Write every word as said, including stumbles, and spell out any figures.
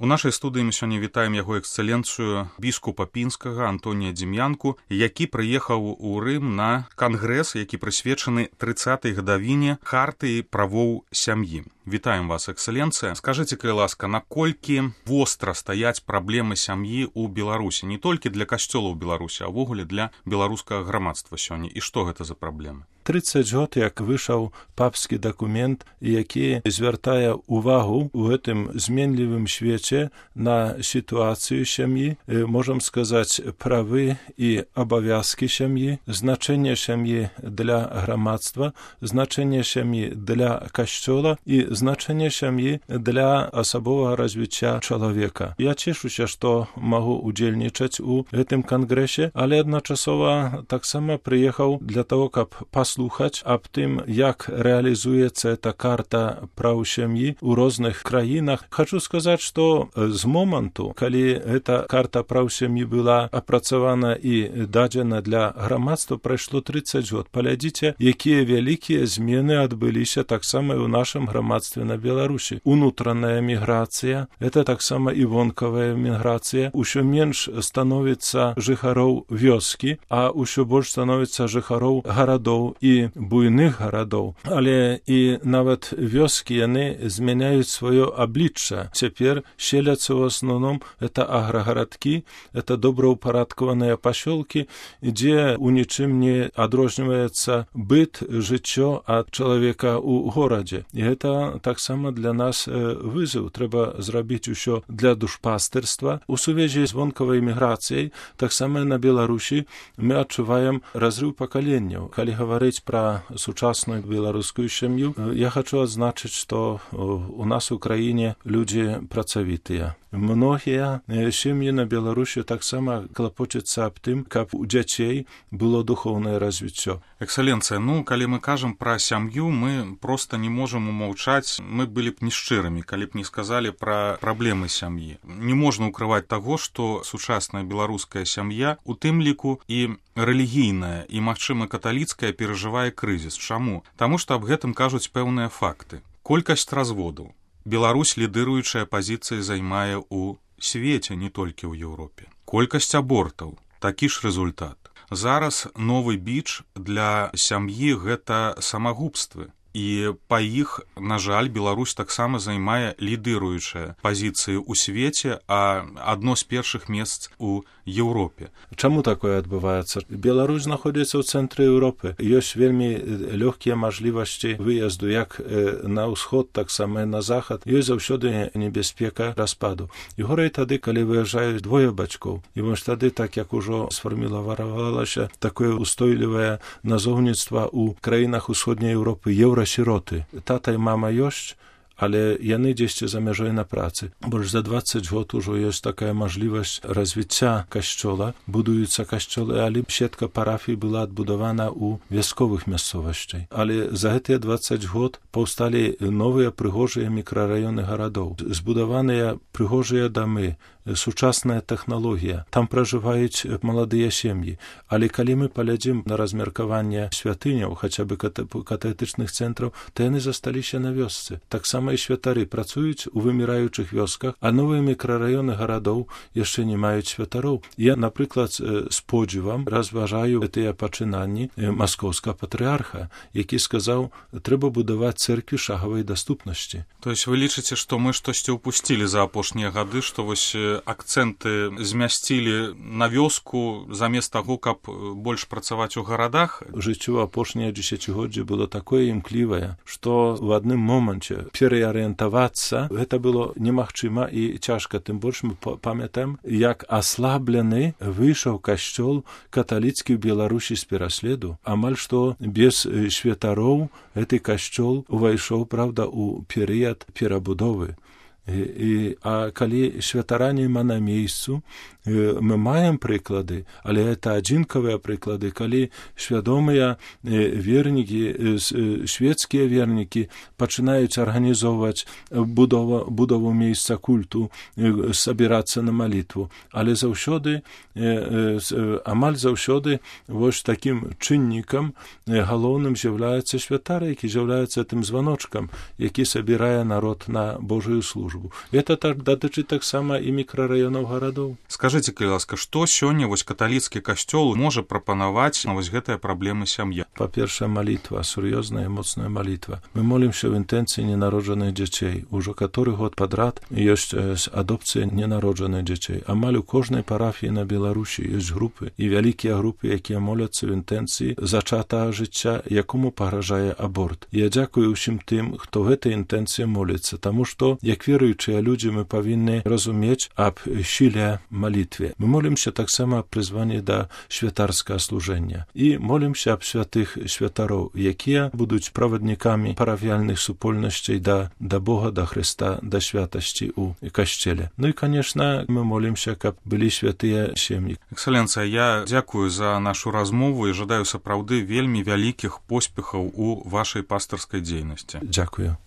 У нашай студыі мы сёння вітаем яго эксцэленцыю біскупа Пінскага Антонія Дзім'янку, які прыехаў у Рым на кангрэс, які прысвечаны трыццатай гадавіне хартыі правоў сям'і. Вітаем вас, эксцэленцыя. Скажыце, калі ласка, наколькі востра стаяць праблемы сям'і ў Беларусі, не толькі для касцёла ў Беларусі, а ўвогуле для беларускага грамадства сёння, і што гэта за праблемы? трыццаць год, як выйшаў папскі дакумент, які звяртае ўвагу ў гэтым зменлівым свеце на сітуацыю сям'і, можам сказаць, правы і абавязкі сям'і, значэнне сям'і для грамадства, значэнне сям'і для касцёла і значэнне сям'і для асабовага развіцця чалавека. Я цешуся, што магу удзельнічаць у гэтым кангрэсе, але адначасова таксама прыехаў для таго, каб паслухаць аб тым, як рэалізуецца эта карта праў сям'і ў розных краінах. Хачу сказаць, што з моманту, калі эта карта праў сям'і была апрацавана і дадзена для грамадства, прайшло трыццаць год. Паглядзіце, якія вялікія змены адбыліся таксама і ў нашым грамадстве на Беларусі. Унутраная міграцыя, это таксама і вонкавая міграцыя. Усё менш становіцца жыхароў вёскі, а ўсё больш становіцца жыхароў гарадоў і буйных гарадоў. Але і нават вёскі яны змяняюць сваё аблічча. Цяпер селяцца ў асноўным это аграгарадкі, это добраўпарадкаваныя пасёлкі, дзе у нічым не адрозніваецца быт, жыццё ад чалавека ў горадзе. І гэта таксама для нас вызов. Трэба зрабіць усё для душпастырства. У сувязі з вонкавай міграцыяй таксама на Беларусі мы адчуваем разрыў пакаленняў. Калі гаварыць пра сучасную беларускую сям'ю, я хачу адзначыць, што у нас у краіне людзі працавітыя. Многія сем'і на Беларусі таксама клапочацца аб тым, каб у дзяцей было духоўнае развіццё. Эксцэленцыя, ну, калі мы кажам пра сям'ю, мы проста не можам умаўчаць, мы былі б не шчырымі, калі б не сказалі пра праблемы сям'і. Не можна ўкрываць таго, што сучасная беларуская сям'я, у тым ліку і рэлігійная, і, магчыма, каталіцкая перажывае крызіс. Чаму? Таму што аб гэтым кажуць пэўныя факты. Колькасць разводаў. Беларусь лідыруючая пазіцыя займае ў свеце, не толькі ў Еўропе. Колькасць абортаў. Такі ж результат. Зараз новы біч для сям'і гэта самагубствы. І па іх, на жаль, Беларусь таксама займае лідыруючыя пазіцыі ў свеце, а адно з першых месц у Еўропе. Чаму такое адбываецца? Беларусь знаходзіцца ў цэнтры Еўропы. Ёсць вельмі лёгкія мажлівасці выезду як на ўсход, таксама і на захад. Ёсць заўсёды небяспека распаду. І горай тады, калі выязджаюць двое бацькоў. І вось тады, так як ужо сфарміравалася такое устойлівае назоўніцтва ў краінах усходняй Еўропы, еўрасіроты. Тата і мама ёсць, але яны дзесьці за мяжой на працы. Больш за дваццаць год ужо ёсць такая мажлівасць развіцця касцёла. Будуюцца касцёлы, але сетка парафій была адбудавана ў вясковых мясцовасцях. Але за гэтыя дваццаць год паўсталі новыя прыгожыя мікрараёны гарадоў. Збудаваныя прыгожыя дамы, сучасная тэхналогія. Там пражываюць маладыя сем'і. Але калі мы паглядзім на размеркаванне святыняў, хаця бы катехетычных цэнтраў, то яны засталіся на вёсцы. Таксама і святары працуюць у выміраючых вёсках, а новыя мікрараёны гарадоў яшчэ не маюць святароў. Я, напрыклад, з подзівам разважаю тыя пачынанні маскоўскага патрыарха, які сказаў, трэба будаваць цэркві шагавай даступнасці. То есть вы лічыце, што мы штосьці ўпусцілі за апошнія гады, што вось акцэнты змясцілі на вёску замест таго, каб больш працаваць у гарадах? Жыццё апошняе дзесяцігоддзе было такое імклівае, што ў адным моманце переарыентавацца гэта было немагчыма і цяжка. Тым больш мы памятаем, як аслаблены выйшаў касцёл каталіцкі ў Беларусі з пераследу. Амаль што без святароў гэты касцёл увайшоў, правда, у перыяд перабудовы. І, і, а калі святара нема на месцу, мы маем прыклады, але это адзінкавыя прыклады, калі свядомыя вернікі, свецкія вернікі пачынаюць арганізоўваць будову, будову месца культу, сабірацца на малітву. Але заўсёды, амаль заўсёды, вось такім чыннікам галоўным з'яўляецца святар, які з'яўляецца тым званочкам, які сабірае народ на Божую службу. службу. Это так датычыць таксама і мікрараёнаў гарадоў. Скажыце, калі ласка, што сёння вось каталіцкі касцёл можа прапанаваць на вось гэтыя праблемы сям'і? Па-першае, малітва, сур'ёзная моцная малітва. Мы молімся ў інтэнцыі ненароджаных дзяцей. Ужо каторы год падрад ёсць адопцыя ненароджаных дзяцей. Амаль у кожнай парафіі на Беларусі ёсць групы і вялікія групы, якія моляцца ў інтэнцыі зачатага жыцця, якому пагражае аборт. Я дзякую ўсім тым, хто гэтай інтэнцыі моліцца, таму што, як веруючыя людзі, мы павінны разумець аб сіле малітве. Мы молімся таксама аб прызванні да святарскага служэння і молімся аб святых святароў, якія будуць праваднікамі парафіяльных супольнасцей да, да Бога, да Хрыста, да святасці ў касцеле. Ну і, канешна, мы молімся, каб былі святыя сем'і. Экселенцыя, я дзякую за нашу размову і жадаю сапраўды вельмі вялікіх поспехаў у вашай пастырскай дзейнасці. Дзякую.